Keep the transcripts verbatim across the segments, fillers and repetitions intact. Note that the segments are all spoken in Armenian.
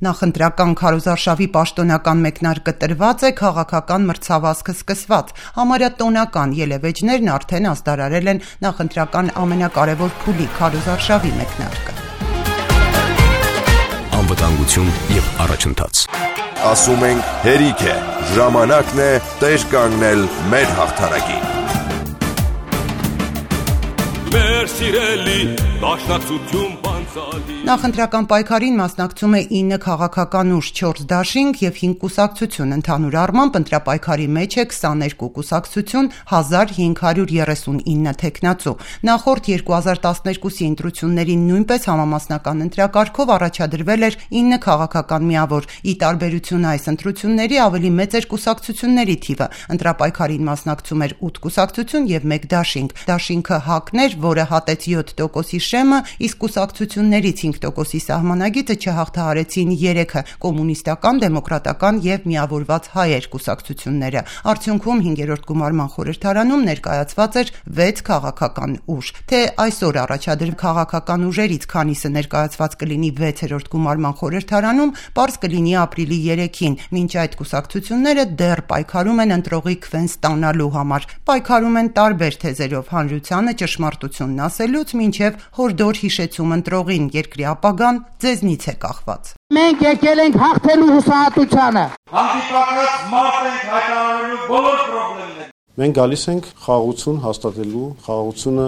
Նախընտրական քարոզարշավի պաշտոնական մեկնարկը տրված է, քաղաքական մրցավազքը սկսված։ Համարյա տոնական ելևէջներն արդեն ազդարարել են նախընտրական ամենակարևոր փուլի քարոզարշավի մեկնարկը։ Անվտանգություն եւ առաջընթաց։ Ասում ենք հերիք է, ժամանակն է տեր կանգնել մեր հաղթանակին։ Մեր սիրելի դաշնակցություն բանցալի։ Նախընտրական պայքարին մասնակցում է ինը քաղաքական ուժ, չորս դաշինք եւ հինգ կուսակցություն, ընդհանուր առմամբ ընտրապայքարի մեջ է քսաներկու կուսակցություն, հազար հինգ հարյուր երեսունինը թեկնածու։ Նախորդ երկու հազար տասներկուսի ընտրություններին նույնպես համամասնական ընտրակարգով առաջադրվել էր ինը քաղաքական միավոր։ Ի տարբերություն այս ընտրությունների ավելի մեծ էր կուսակցությունների թիվը։ Ընտրապայքարին մասնակցում էր ութ կուսակցություն եւ մեկ դաշինք։ Դաշինքը ՀԱԿ-ն էր, որը հատեց յոթ տոկոսի շեմը, իսկ կուսակցություններից հինգ տոկոսի սահմանագիծը չհաղթահարեցին երեքը՝ կոմունիստական, դեմոկրատական եւ միավորված հայեր կուսակցությունները։ Արդյունքում հինգերորդ գումարման խորհրդարանում ներկայացված էր վեց քաղաքական ուժ։ Թե այսօր առաջադրվող քաղաքական ուժերից քանիսը ներկայացված կլինի վեցերորդ գումարման խորհրդարանում, պարզ կլինի ապրիլի երեքին։ Մինչ այդ կուսակցությունները դեռ պայքարում են ընտրողի քվեն ստանալու համար։ Պայքարում են տարբեր թեզերով՝ հանրությանը ճշմարտությունն ասելուց մինչև հորդոր հիշեցում ընտրողին, երկրի ապագան ձեզնից է կախված։ Մենք եկել ենք հաղթելու հուսահատությանը։ Հանդիպակաց մարդ ենք հայտարարելու բոլոր խնդիրները։ Մենք գալիս ենք խաղաղություն հաստատելու, խաղաղությունը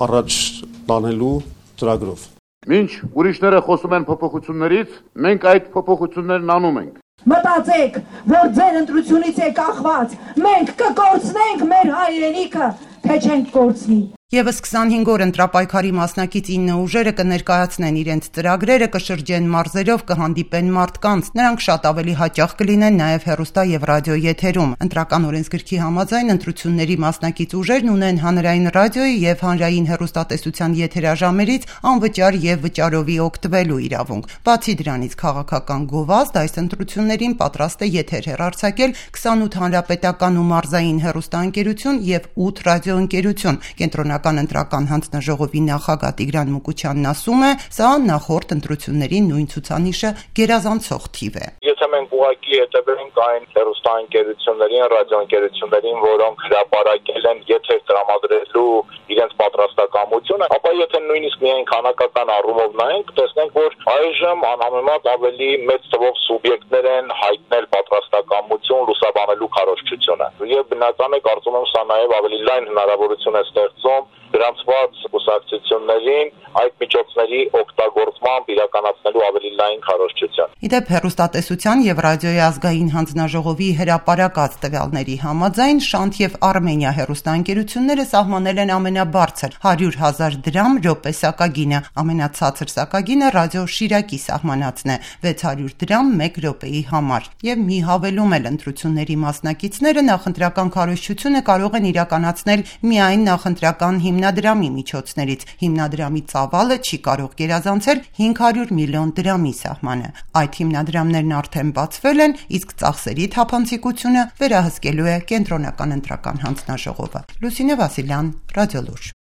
առաջ տանելու ծրագրով։ Մինչ ուրիշները խոսում են փոփոխություններից, մենք այդ փոփոխություններն անում ենք։ Մտածեք, որ ձեր ընտրությունից է կախված, մենք կկորցնենք մեր հայրենիքը, թե չենք կորցնի։ Եվս քսանհինգ օր ընտրապայքարի մասնակից ինը ուժերը կներկայացնեն իրենց ծրագրերը, կշրջեն մարզերով, կհանդիպեն մարդկանց։ Նրանք շատ ավելի հաճախ կլինեն նաև հեռուստա եւ ռադիո եթերում։ Ընտրական օրենսգրքի համաձայն ընտրությունների մասնակից ուժերն ունեն հանրային ռադիոյի եւ հանրային հեռուստատեսության եթերաժամերից անվճար եւ վճարովի օգտվելու իրավունք։ Բացի դրանից քաղաքական գովազդ այս ընտրություններին պատրաստ է եթեր հեռարձակել քսանութ հանրապետական ու մարզային հեռուստաընկերություն եւ ութ ռադիոընկերություն։ Կենտրոնական ընտրական հանձնաժողովի նախագահ Տիգրան Մուկուչյանն ասում է, սա նախորդ ընտրությունների նույն ցուցանիշը գերազանցող թիվ է։ Եթե մենք ուղղակի հետևենք այն հեռուստաընկերություններին, ռադիոընկերություններին, որոնք հրապարակել են եթեր տրամադրելու իրենց պատրաստակամությունը, ապա եթե նույնիսկ միայն քանակական առումով նայենք, տեսնենք, որ այժմ անհամեմատ ավելի մեծ թվով սուբյեկտներ են հայտնել պատրաստակամություն լուսաբանելու քարոզչությունը։ Եվ բնական է, կարծում եմ, սա նաև ավելի լայն հնարավորություն է ստեղծում գրանցված կուսակցություններին այդ միջոցների օգտագործմամբ իրականացնելու ավելի լայն քարոզչություն։ Իդեպ հեռուստատեսության եւ ռադիոյի ազգային հանձնաժողովի հրապարակած տվյալների համաձայն Շանթ եւ Արմենիա հեռուստաընկերությունները սահմանել են ամենաբարձր հարյուր հազար դրամ րոպե սակագինը, ամենացածր սակագինը ռադիո Շիրակի սահմանածն է՝ վեց հարյուր դրամ մեկ րոպեի համար։ Եվ մի հավելում էլ ընտրությունների մասնակիցները նախընտրական քարոզչությունը կարող են իրականացնել միայն նախընտրական հիմնադրամի միջոցներից։ Հիմնադրամի ծավալը չի կարող գերազանցել հինգ հարյուր միլիոն դրամի սահմանը։ Այդ հիմնադրամներն արդեն բացվել են, իսկ ծախսերի թափանցիկությունը վերահսկելու է Կենտրոնական ընտրական հանձնաժողովը։ Լուսինե Վասիլյան, Ռադիոլուր։